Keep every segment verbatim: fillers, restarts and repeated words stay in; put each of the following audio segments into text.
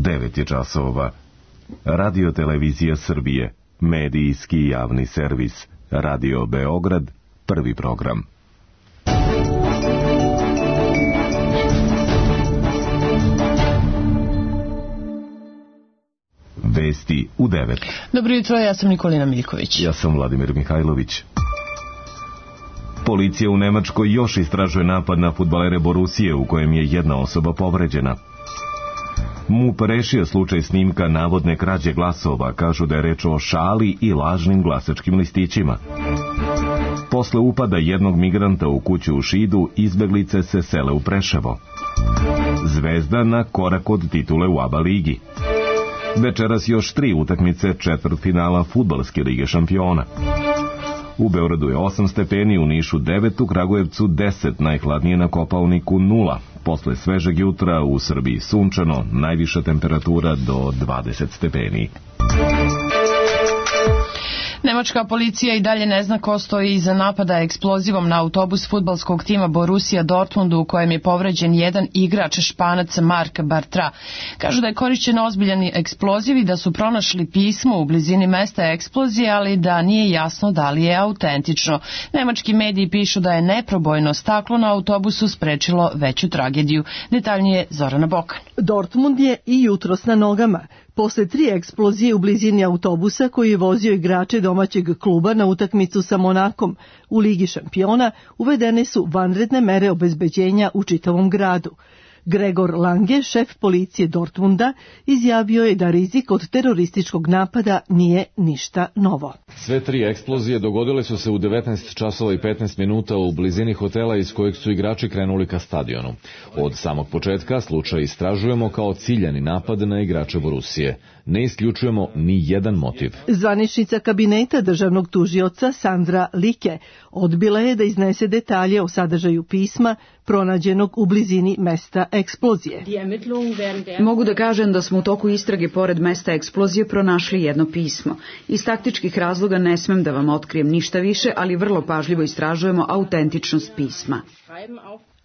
devet je časova. Radio Televizija Srbije, medijski javni servis. Radio Beograd, prvi program. Vesti u devet. Dobro jutro, ja sam Nikolina Miljković. Ja sam Vladimir Mihajlović. Policija u Nemačkoj još istražuje napad na fudbalere Borusije u kojem je jedna osoba povređena. MUP rešio slučaj snimka navodne krađe glasova, kažu da je reč o šali i lažnim glasačkim listićima. Posle upada jednog migranta u kuću u Šidu, izbeglice se sele u Preševo. Zvezda na korak od titule u ABA ligi. Večeras još tri utakmice četvrtfinala fudbalske lige šampiona. U Beogradu je osam stepeni, u Nišu devet, u Kragujevcu deset, najhladnije na Kopaoniku nula. Posle svežeg jutra u Srbiji sunčano, najviša temperatura do dvadeset stepeni. Nemačka policija i dalje ne zna ko stoji iza napada eksplozivom na autobus fudbalskog tima Borussia Dortmundu u kojem je povređen jedan igrač, Španac Mark Bartra. Kažu da je korišćen ozbiljan eksploziv i da su pronašli pismo u blizini mesta eksplozije, ali da nije jasno da li je autentično. Nemački mediji pišu da je neprobojno staklo na autobusu sprečilo veću tragediju. Detaljnije Zorana Bokan. Dortmund je i jutros na nogama. Posle tri eksplozije u blizini autobusa koji je vozio igrače domaćeg kluba na utakmicu sa Monakom u Ligi šampiona, uvedene su vanredne mere obezbeđenja u čitavom gradu. Gregor Lange, šef policije Dortmunda, izjavio je da rizik od terorističkog napada nije ništa novo. Sve tri eksplozije dogodile su se u devetnaest časova i petnaest minuta u blizini hotela iz kojeg su igrači krenuli ka stadionu. Od samog početka slučaj istražujemo kao ciljani napad na igrače Borusije. Ne isključujemo ni jedan motiv. Zvaničnica kabineta državnog tužioca Sandra Like odbila je da iznese detalje o sadržaju pisma pronađenog u blizini mesta eksplozije. Mogu da kažem da smo u toku istrage pored mesta eksplozije pronašli jedno pismo. Iz taktičkih razloga ne smem da vam otkrijem ništa više, ali vrlo pažljivo istražujemo autentičnost pisma.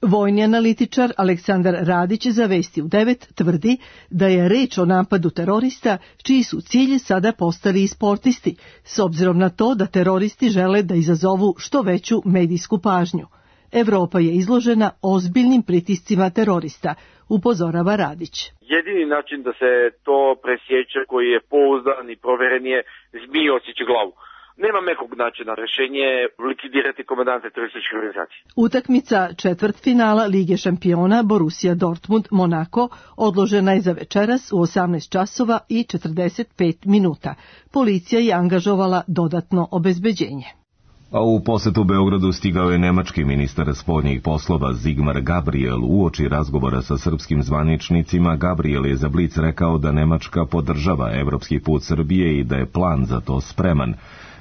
Vojni analitičar Aleksandar Radić za Vesti u devet tvrdi da je reč o napadu terorista čiji su cilji sada postali i sportisti, s obzirom na to da teroristi žele da izazovu što veću medijsku pažnju. Evropa je izložena ozbiljnim pritiscima terorista, upozorava Radić. Jedini način da se to presjeće koji je pouzdan i proveren je zmije osjeća glavu. Nema nekog načina, rešenje je likvidirati komandante terorističke organizacije. Utakmica četvrtfinala Lige šampiona Borussia Dortmund Monako odložena je za večeras u osamnaest časova i četrdeset pet minuta. Policija je angažovala dodatno obezbeđenje. A u posetu Beogradu stigao je nemački ministar spoljnih poslova Sigmar Gabriel. Uoči razgovora sa srpskim zvaničnicima, Gabriel je za Blic rekao da Nemačka podržava evropski put Srbije i da je plan za to spreman.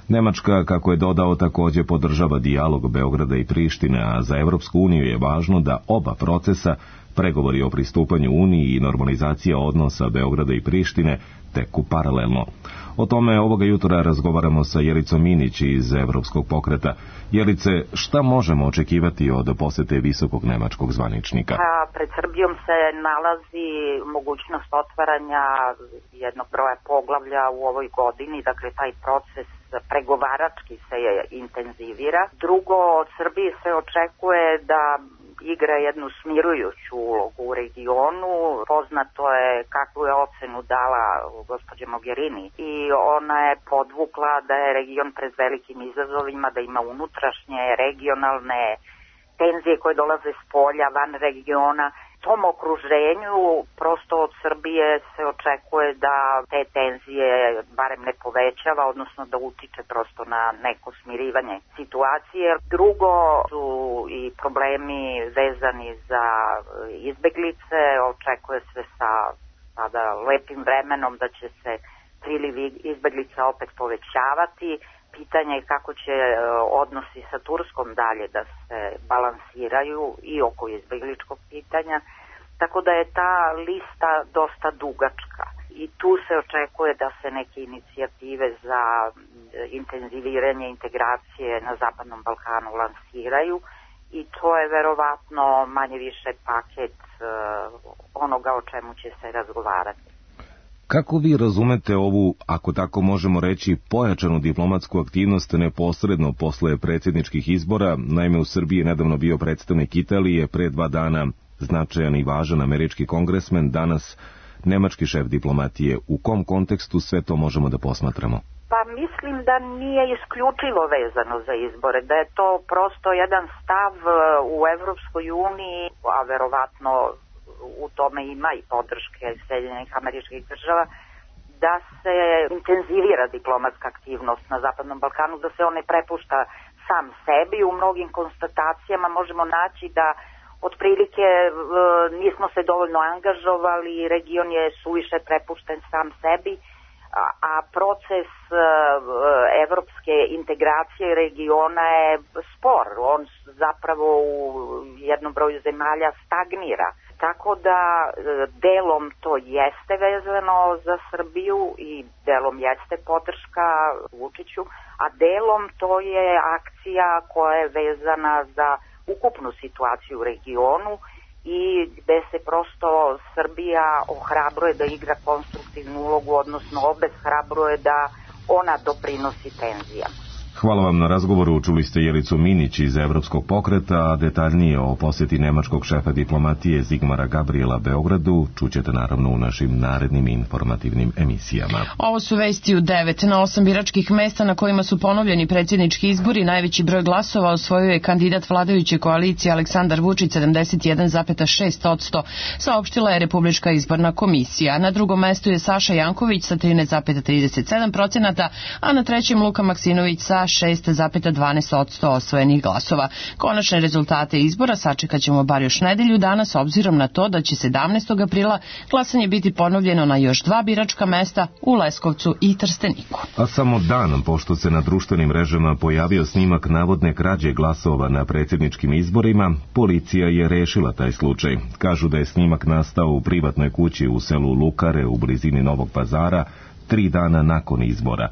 Nemačka, kako je dodao, također podržava dijalog Beograda i Prištine, a za Evropsku uniju je važno da oba procesa, pregovori o pristupanju Uniji i normalizacija odnosa Beograda i Prištine, teku paralelno. O tome ovoga jutra razgovaramo sa Jelicom Minić iz Evropskog pokreta. Jelice, šta možemo očekivati od posete visokog nemačkog zvaničnika? A pred Srbijom se nalazi mogućnost otvaranja jednog broja poglavlja u ovoj godini, dakle taj proces pregovarački se je intenzivira. Drugo, od Srbije se očekuje da igra jednu smirujuću ulogu u regionu. Poznato je kakvu je ocenu dala gospođa Mogherini i ona je podvukla da je region pred velikim izazovima, da ima unutrašnje, regionalne tenzije koje dolaze s polja, van regiona. Tom okruženju prosto od Srbije se očekuje da te tenzije barem ne povećava, odnosno da utiče prosto na neko smirivanje situacije. Drugo su i problemi vezani za izbeglice. Očekuje se sa sada lepim vremenom da će se priliv izbeglica opet povećavati. Pitanje je kako će odnosi sa Turskom dalje da se balansiraju i oko izbegličkog pitanja, tako da je ta lista dosta dugačka i tu se očekuje da se neke inicijative za intenziviranje integracije na Zapadnom Balkanu lansiraju i to je verovatno manje više paket onoga o čemu će se razgovarati. Kako vi razumete ovu, ako tako možemo reći, pojačanu diplomatsku aktivnost neposredno posle predsjedničkih izbora? Naime, u Srbiji je nedavno bio predstavnik Italije, pre dva dana značajan i važan američki kongresmen, danas nemački šef diplomatije. U kom kontekstu sve to možemo da posmatramo? Pa mislim da nije isključivo vezano za izbore, da je to prosto jedan stav u Evropskoj uniji, a verovatno u tome ima i podrške Sjedinjenih Američkih Država, da se intenzivira diplomatska aktivnost na Zapadnom Balkanu, da se on ne prepušta sam sebi. U mnogim konstatacijama možemo naći da otprilike nismo se dovoljno angažovali, region je suviše prepušten sam sebi, a proces evropske integracije regiona je spor. On zapravo u jednom broju zemalja stagnira. Tako da delom to jeste vezano za Srbiju i delom jeste podrška Vučiću, a delom to je akcija koja je vezana za ukupnu situaciju u regionu i gde se prosto Srbija ohrabruje da igra konstruktivnu ulogu, odnosno obeshrabruje da ona doprinosi tenzijama. Hvala vam na razgovoru. Čuli ste Jelicu Minić iz Evropskog pokreta, a detaljnije o posjeti nemačkog šefa diplomatije Zigmara Gabriela Beogradu čućete naravno u našim narednim informativnim emisijama. Ovo su vesti u devet. Na osam biračkih mesta na kojima su ponovljeni predsjednički izbori najveći broj glasova osvojio je kandidat vladajuće koalicije Aleksandar Vučić sedamdeset jedan zarez šest posto, saopštila je Republička izborna komisija. Na drugom mestu je Saša Janković sa trinaest zarez trideset sedam posto, a na trećem Luka Maksimović sa šest zarez dvanaest posto osvojenih glasova. Konačne rezultate izbora sačekat ćemo bar još nedelju dana s obzirom na to da će sedamnaestog aprila glasanje biti ponovljeno na još dva biračka mesta u Leskovcu i Trsteniku. A samo dan pošto se na društvenim mrežama pojavio snimak navodne krađe glasova na predsjedničkim izborima, policija je rešila taj slučaj. Kažu da je snimak nastao u privatnoj kući u selu Lukare u blizini Novog Pazara tri dana nakon izbora.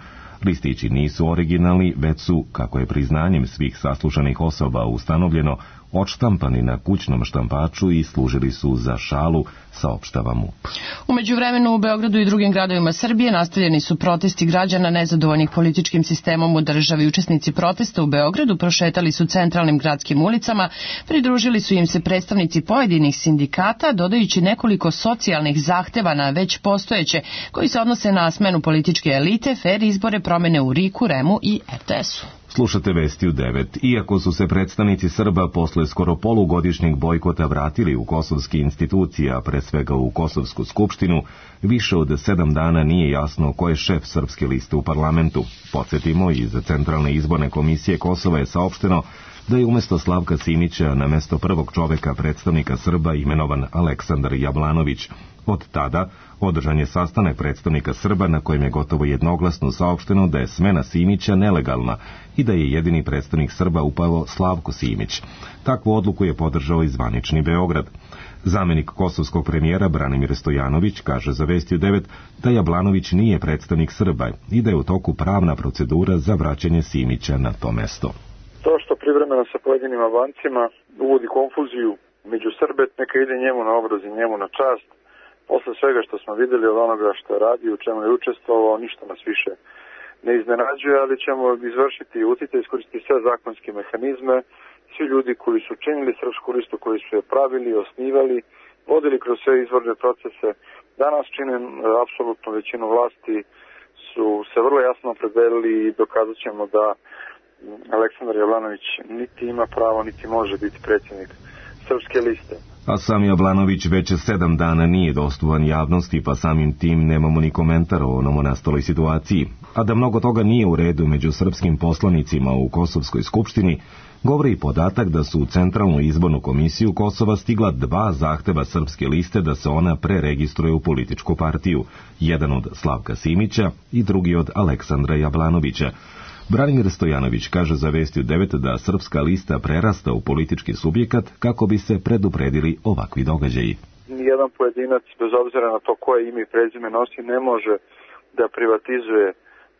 Listići nisu originalni, već su, kako je priznanjem svih saslušanih osoba ustanovljeno, odštampani na kućnom štampaču i služili su za šalu, saopštava MUP. U međuvremenu u Beogradu i drugim gradovima Srbije nastavljeni su protesti građana nezadovoljnih političkim sistemom u državi. Učesnici protesta u Beogradu prošetali su centralnim gradskim ulicama, pridružili su im se predstavnici pojedinih sindikata, dodajući nekoliko socijalnih zahteva na već postojeće, koji se odnose na smenu političke elite, fer izbore, promene u RIK-u, REM-u i R T S-u. Slušate vesti u devet. Iako su se predstavnici Srba posle skoro polugodišnjeg bojkota vratili u kosovske institucije, a pre svega u Kosovsku skupštinu, više od sedam dana nije jasno ko je šef srpske liste u parlamentu. Podsjetimo, iz Centralne izborne komisije Kosova je saopšteno da je umjesto Slavka Simića na mesto prvog čoveka predstavnika Srba imenovan Aleksandar Jablanović. Od tada održan je sastanak predstavnika Srba na kojem je gotovo jednoglasno saopšteno da je smena Simića nelegalna i da je jedini predstavnik Srba upravo Slavko Simić. Takvu odluku je podržao i zvanični Beograd. Zamenik kosovskog premijera Branimir Stojanović kaže za Vesti u devet da Jablanović nije predstavnik Srba i da je u toku pravna procedura za vraćanje Simića na to mesto. To što privremeno sa pojedinim Albancima uvodi konfuziju među Srbe, neka ide njemu na obraz i njemu na čast. Posle svega što smo videli od onoga što je radio, u čemu je učestvovao, ništa nas više ne iznenađuje, ali ćemo izvršiti utjecaj, iskoristiti sve zakonske mehanizme. Svi ljudi koji su činili srpsku listu, koji su je pravili, osnivali, vodili kroz sve izborne procese, danas čine apsolutnu većinu vlasti, su se vrlo jasno opredelili i dokazat ćemo da Aleksandar Jablanović niti ima pravo, niti može biti predsjednik srpske liste. A sam Jablanović već sedam dana nije dostupan javnosti, pa samim tim nemamo ni komentar o novonastaloj situaciji. A da mnogo toga nije u redu među srpskim poslanicima u Kosovskoj skupštini, govori i podatak da su u Centralnu izbornu komisiju Kosova stigla dva zahteva srpske liste da se ona preregistruje u političku partiju, jedan od Slavka Simića i drugi od Aleksandra Jablanovića. Branimir Stojanović kaže za Vesti u devet da srpska lista prerasta u politički subjekat kako bi se predupredili ovakvi događaji. Nijedan pojedinac, bez obzira na to koje ime i prezime nosi, ne može da privatizuje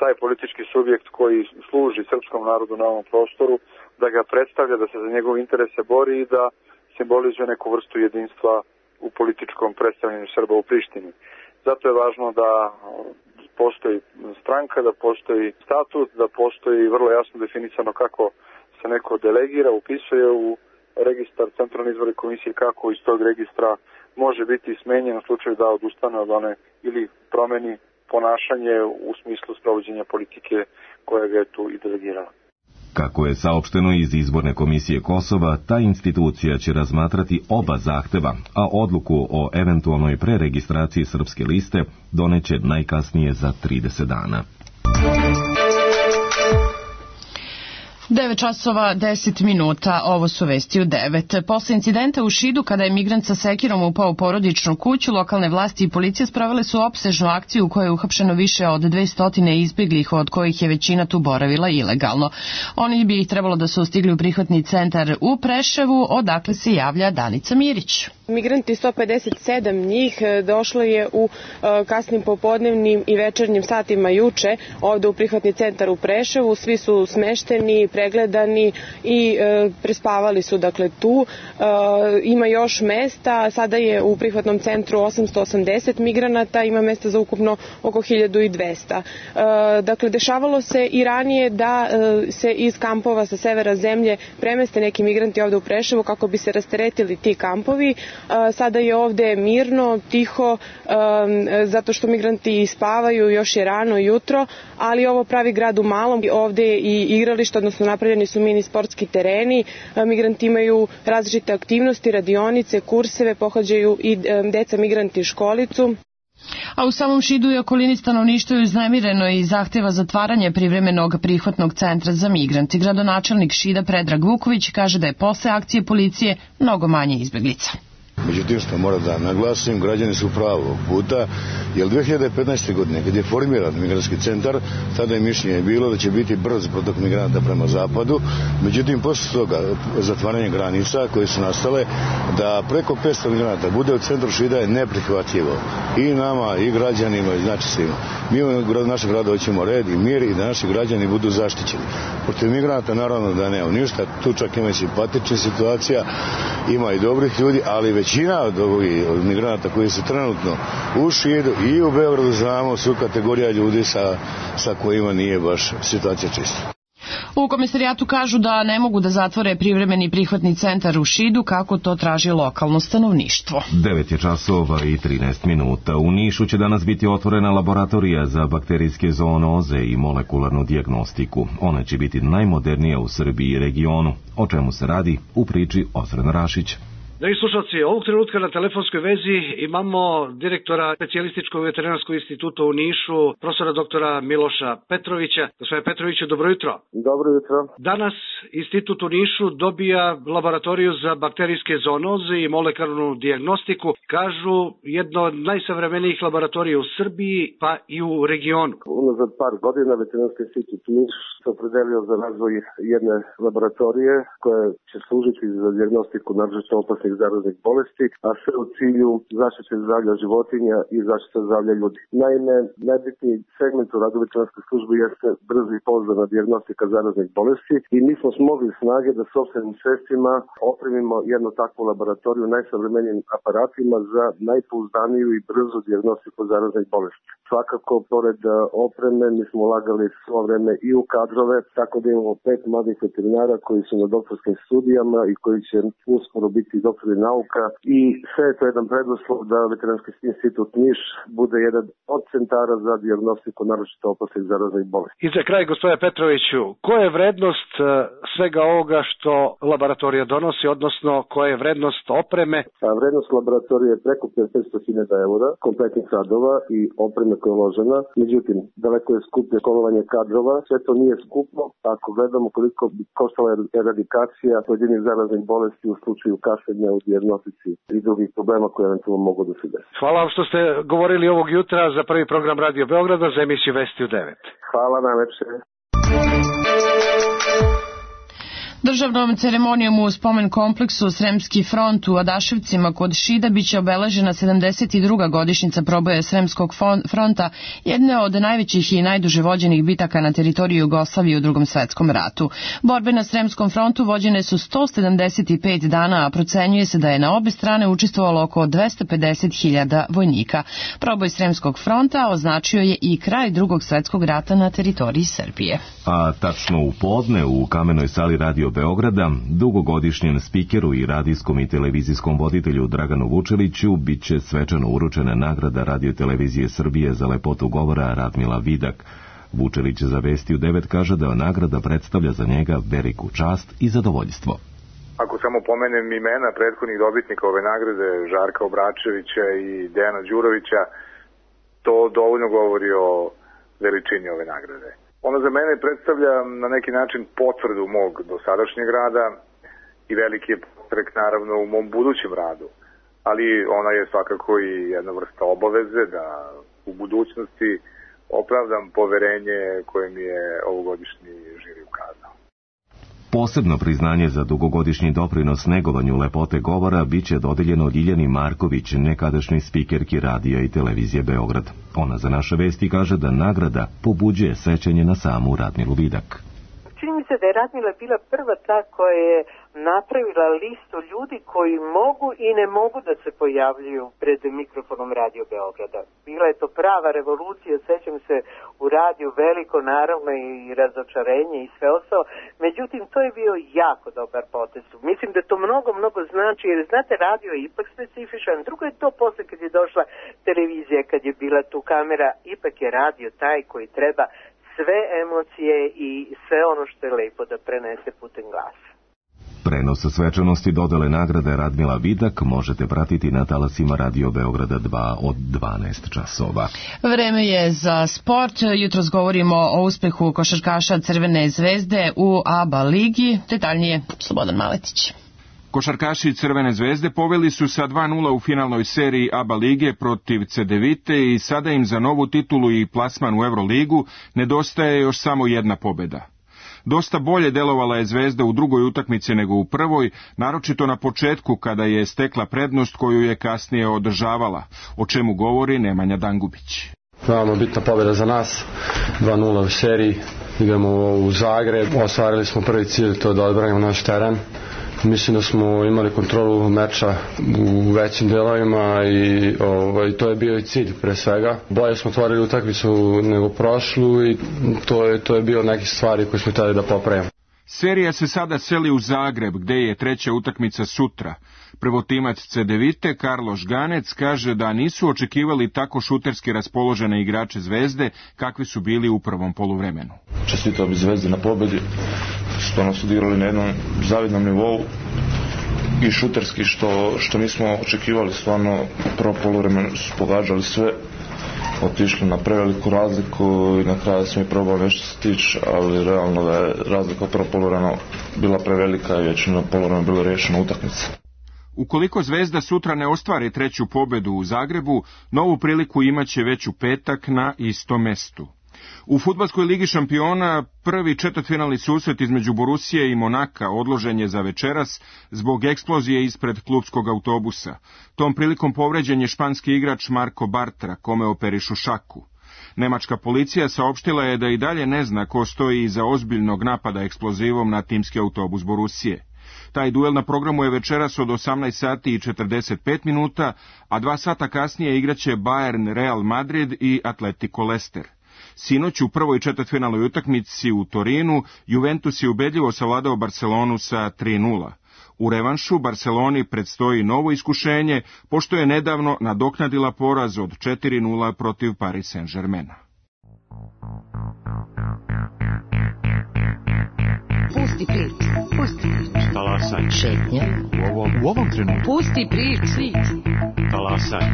taj politički subjekt koji služi srpskom narodu na ovom prostoru, da ga predstavlja, da se za njegov interese bori i da simbolizuje neku vrstu jedinstva u političkom predstavljanju Srba u Prištini. Zato je važno da postoji stranka, da postoji statut, da postoji vrlo jasno definisano kako se neko delegira, upisuje u registar Centralne izborne komisije, kako iz tog registra može biti smenjen u slučaju da odustane od one ili promeni ponašanje u smislu sprovođenja politike koja ga je tu i delegirala. Kako je saopšteno iz Izborne komisije Kosova, ta institucija će razmatrati oba zahteva, a odluku o eventualnoj preregistraciji srpske liste doneće najkasnije za trideset dana. devet časova deset minuta, ovo su vesti u devet. Posle incidenta u Šidu, kada je migrant sa sekirom upao u porodičnu kuću, lokalne vlasti i policija sprovele su opsežnu akciju u kojoj je uhapšeno više od dvesta izbeglih, od kojih je većina tu boravila ilegalno. Oni bi ih trebalo da su stigli u prihvatni centar u Preševu, odakle se javlja Danica Mirić. Migranti, sto pedeset sedam njih, došlo je u kasnim popodnevnim i večernjim satima juče ovde u prihvatni centar u Preševu. Svi su smešteni, pregledani i e, prespavali su dakle tu. E, ima još mesta, sada je u prihvatnom centru osamsto osamdeset migranata, ima mesta za ukupno oko hiljadu dvesta. E, dakle, dešavalo se i ranije da e, se iz kampova sa severa zemlje premeste neki migranti ovde u Preševo kako bi se rasteretili ti kampovi. E, sada je ovde mirno, tiho, e, zato što migranti spavaju, još je rano jutro, ali ovo pravi grad u malom. Ovde je i igralište, odnosno napravljeni su mini sportski tereni, migranti imaju različite aktivnosti, radionice, kurseve, pohađaju i deca migranti školicu. A u samom Šidu i okolini stanovništvo je uznemireno i zahteva zatvaranje privremenog prihvatnog centra za migranti. Gradonačelnik Šida Predrag Vuković kaže da je posle akcije policije mnogo manje izbeglica. Međutim, što moram da naglasim, građani su pravog puta, jer dve hiljade petnaeste. godine, kad je formiran migrantski centar, tada je mišljenje bilo da će biti brz protok migranata prema zapadu. Međutim, posle toga zatvaranja granica koje su nastale, da preko petsto migranata bude u centru Šida je neprihvatljivo. I nama, i građanima, i znači svima. Mi u našem gradu hoćemo red i mir i da naši građani budu zaštićeni. Protiv migranata naravno da nema ništa, tu čak ima i simpatičnih situacija, ima i dobrih ljudi, ali većina od ovih migranata koji su trenutno u Šidu i u Beogradu, znamo, su kategorija ljudi sa, sa kojima nije baš situacija čista. U komisarijatu kažu da ne mogu da zatvore privremeni prihvatni centar u Šidu kako to traži lokalno stanovništvo. devet je časova i trinaest minuta. U Nišu će danas biti otvorena laboratorija za bakterijske zoonoze i molekularnu dijagnostiku. Ona će biti najmodernija u Srbiji i regionu. O čemu se radi u priči Ozren Rašić. Dragi slušalci, ovog trenutka na telefonskoj vezi imamo direktora Specijalističkog veterinarskog instituta u Nišu, profesora doktora Miloša Petrovića. Gospodine Petroviću, dobro jutro. Dobro jutro. Danas institut u Nišu dobija laboratoriju za bakterijske zoonoze i molekularnu dijagnostiku. Kažu, jedno od najsavremenijih laboratorija u Srbiji, pa i u regionu. Unazad par godina Veterinarski institut u Nišu se opredelio za razvoj jedne laboratorije koja će služiti za dijagnostiku naročito opasnih zaraznih bolesti, a sve u cilju zaštite zdravlja životinja i zaštite zdravlja ljudi. Naime, najbitniji segment u radu veterinarske službe jeste brza i pouzdana dijagnostika zaraznih bolesti i mi smo smogli snage da sopstvenim sredstvima opremimo jednu takvu laboratoriju najsavremenijim aparatima za najpouzdaniju i brzu dijagnostiku zaraznih bolesti. Svakako, pored opreme, mi smo ulagali svo vreme i u kadrove, tako da imamo pet mladih veterinara koji su na doktorskim studijama i koji će uskoro biti doktori nauka i sve je to jedan preduslov da Veterinarski institut Niš bude jedan od centara za dijagnostiku naročito opasnih zaraznih bolesti. I za kraj, gospodine Petroviću, koja je vrednost svega ovoga što laboratorija donosi, odnosno koja je vrednost opreme? A vrednost laboratorije je preko petsto hiljada eura, kompletnih radova i opreme koja je uložena. Međutim, daleko je skuplje školovanje kadrova, sve to nije skupo. Ako gledamo koliko bi koštala eradikacija pojedinih zaraznih bolesti u slučaju kašljenja u dijagnostici i drugih problema koje eventualno mogu da se desi. Hvala vam što ste govorili ovog jutra za prvi program Radio Beograda za emisiju Vesti u devet. Hvala najlepše. Državnom ceremonijom u spomen kompleksu Sremski front u Adaševcima kod Šida biće obeležena sedamdeset druga godišnjica proboja Sremskog fronta, jedne od najvećih i najduže vođenih bitaka na teritoriji Jugoslavije u Drugom svetskom ratu. Borbe na Sremskom frontu vođene su sto sedamdeset pet dana, a procenjuje se da je na obe strane učestvovalo oko dvesta pedeset hiljada vojnika. Proboj Sremskog fronta označio je i kraj Drugog svetskog rata na teritoriji Srbije. A tačno u podne u Kamenoj sali Radio Beograda, dugogodišnjem spikeru i radijskom i televizijskom voditelju Draganu Vučeliću biće svečano uručena nagrada Radio televizije Srbije za lepotu govora Radmila Vidak. Vučelić za Vesti u devet kaže da nagrada predstavlja za njega veliku čast i zadovoljstvo. Ako samo pomenem imena prethodnih dobitnika ove nagrade, Žarka Obračevića i Dejana Đurovića, to dovoljno govori o veličini ove nagrade. Ona za mene predstavlja na neki način potvrdu mog dosadašnjeg rada i veliki je podstrek naravno u mom budućem radu, ali ona je svakako i jedna vrsta obaveze da u budućnosti opravdam poverenje koje mi je ovogodišnji žiri ukazao. Posebno priznanje za dugogodišnji doprinos negovanju lepote govora biće dodeljeno Ljiljani Marković, nekadašnjoj spikerki radija i televizije Beograd. Ona za Naše Vesti kaže da nagrada pobuđuje sećanje na samu Radmilu Vidak. Čini mi se da je Radmila bila prva ta koja je napravila listu ljudi koji mogu i ne mogu da se pojavljuju pred mikrofonom Radio Beograda. Bila je to prava revolucija, sećam se u radiju veliko naravno i razočarenje i sve ostalo, međutim to je bio jako dobar potez. Mislim da to mnogo, mnogo znači, jer znate, radio je ipak specifičan, drugo je to posle kad je došla televizija, kad je bila tu kamera, ipak je radio taj koji treba sve emocije i sve ono što je lepo da prenese putem glasa. Prenos svečanosti dodele nagrade Radmila Vidak možete pratiti na talasima Radio Beograda dva od dvanaest časova. Vreme je za sport. Jutros govorimo o uspehu košarkaša Crvene zvezde u A B A ligi. Detaljnije Slobodan Maletić. Košarkaši Crvene zvezde poveli su sa dva nula u finalnoj seriji A B A lige protiv Cedevite i sada im za novu titulu i plasman u Euroligu nedostaje još samo jedna pobeda. Dosta bolje delovala je Zvezda u drugoj utakmici nego u prvoj, naročito na početku kada je stekla prednost koju je kasnije održavala, o čemu govori Nemanja Dangubić. Veoma bitna pobjeda za nas, dva nula u seriji, idemo u Zagreb, ostvarili smo prvi cilj, to je da odbranimo naš teren. Mislim da smo imali kontrolu meča u većim delovima i ovaj, to je bio i cilj pre svega. Bolje smo otvorili utakmicu nego prošlu i to je, to je bio neke stvari koje smo htjeli da popravimo. Serija se sada seli u Zagreb, gde je treća utakmica sutra. Prvotimac Cedevite, Karlo Žganec, kaže da nisu očekivali tako šuterski raspoložene igrače Zvezde kakvi su bili u prvom poluvremenu. Čestitao bi Zvezdi na pobedi, stvarno su odigrali na jednom zavidnom nivou i šuterski što, što nismo očekivali, stvarno prvo poluvremenu su pogađali sve, otišli na preveliku razliku i na kraju smo i probali nešto stići, ali realno da je razlika prvo poluvremena bila prevelika i već na poluvremenu bilo riješena utakmica. Ukoliko Zvezda sutra ne ostvari treću pobedu u Zagrebu, novu priliku imaće već u petak na istom mestu. U fudbalskoj ligi šampiona prvi četvrtfinalni susret između Borusije i Monaka odložen je za večeras zbog eksplozije ispred klubskog autobusa. Tom prilikom povređen je španski igrač Marko Bartra, kome operišu šaku. Nemačka policija saopštila je da i dalje ne zna ko stoji iza ozbiljnog napada eksplozivom na timski autobus Borusije. Taj duel na programu je večeras od osamnaest sati i četrdeset pet minuta, a dva sata kasnije igraće Bayern Real Madrid i Atletico Leicester. Sinoć u prvoj četvrtfinalnoj utakmici u Torinu Juventus je ubedljivo savladao Barcelonu sa tri nula. U revanšu Barceloni predstoji novo iskušenje, pošto je nedavno nadoknadila poraz od četiri nula protiv Paris Saint-Germaina. Pusti prič, pusti prič. Talasaj. Šetnja. U ovom, u ovom trenutku. Pusti prič. Talasaj.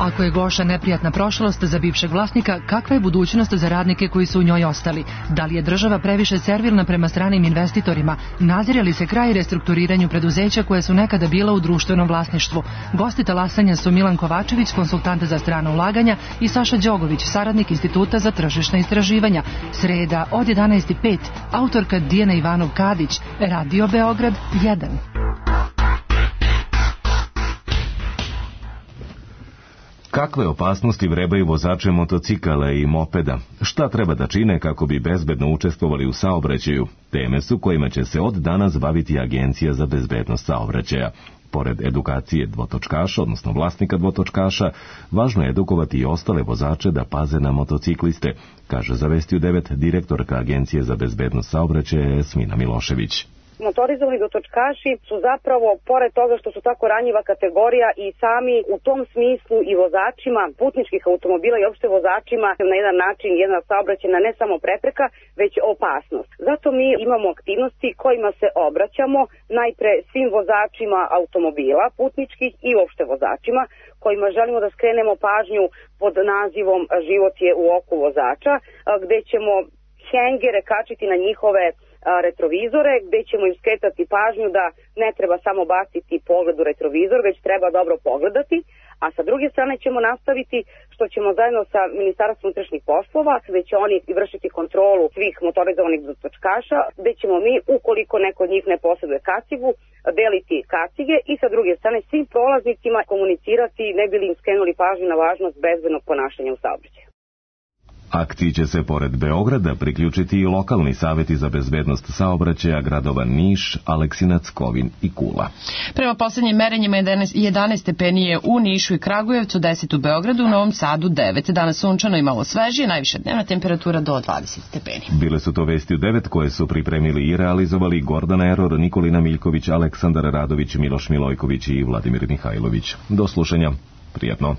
Ako Ako je Goša neprijatna prošlost za bivšeg vlasnika, kakva je budućnost za radnike koji su u njoj ostali? Da li je država previše servilna prema stranim investitorima? Nazire li se kraj restrukturiranju preduzeća koje su nekada bila u društvenom vlasništvu? Gosti talasanja su Milan Kovačević, konsultant za strana ulaganja, i Saša Đogović, saradnik Instituta za tržišna istraživanja. Sreda od jedanaest i pet, autorka Dijana Ivanov-Kadić, Radio Beograd jedan. Kakve opasnosti vrebaju vozače motocikala i mopeda? Šta treba da čine kako bi bezbedno učestvovali u saobraćaju? Teme su kojima će se od danas baviti Agencija za bezbednost saobraćaja. Pored edukacije dvotočkaša, odnosno vlasnika dvotočkaša, važno je edukovati i ostale vozače da paze na motocikliste, kaže za Vesti u devet direktorka Agencije za bezbednost saobraćaja Smina Milošević. Motorizovani dotočkaši su zapravo, pored toga što su tako ranjiva kategorija, i sami u tom smislu i vozačima putničkih automobila i opšte vozačima na jedan način jedna saobraćajna ne samo prepreka, već opasnost. Zato mi imamo aktivnosti kojima se obraćamo najpre svim vozačima automobila putničkih i opšte vozačima, kojima želimo da skrenemo pažnju pod nazivom Život je u oku vozača, gde ćemo hengere kačiti na njihove retrovizore, gde ćemo im skretati pažnju da ne treba samo baciti pogled u retrovizor, već treba dobro pogledati, a sa druge strane ćemo nastaviti što ćemo zajedno sa Ministarstvom unutrašnjih poslova, gde će oni vršiti kontrolu svih motorizovanih dotočkaša, gde ćemo mi, ukoliko neko od njih ne posjeduje kacigu, deliti kacige i sa druge strane svim prolaznicima komunicirati, ne bi li im skrenuli pažnju na važnost bezbednog ponašanja u saobraćaju. Akciji će se pored Beograda priključiti i lokalni saveti za bezbednost saobraćaja gradova Niš, Aleksinac, Kovin i Kula. Prema poslednjim merenjima jedanaest stepeni je u Nišu i Kragujevcu, deset u Beogradu, u Novom Sadu devet. Danas sunčano i malo svežije, najviša dnevna temperatura do dvadeset stepeni. Bile su to Vesti u devet koje su pripremili i realizovali Gordana Eror, Nikolina Miljković, Aleksandar Radović, Miloš Milojković i Vladimir Mihajlović. Do slušanja. Prijatno.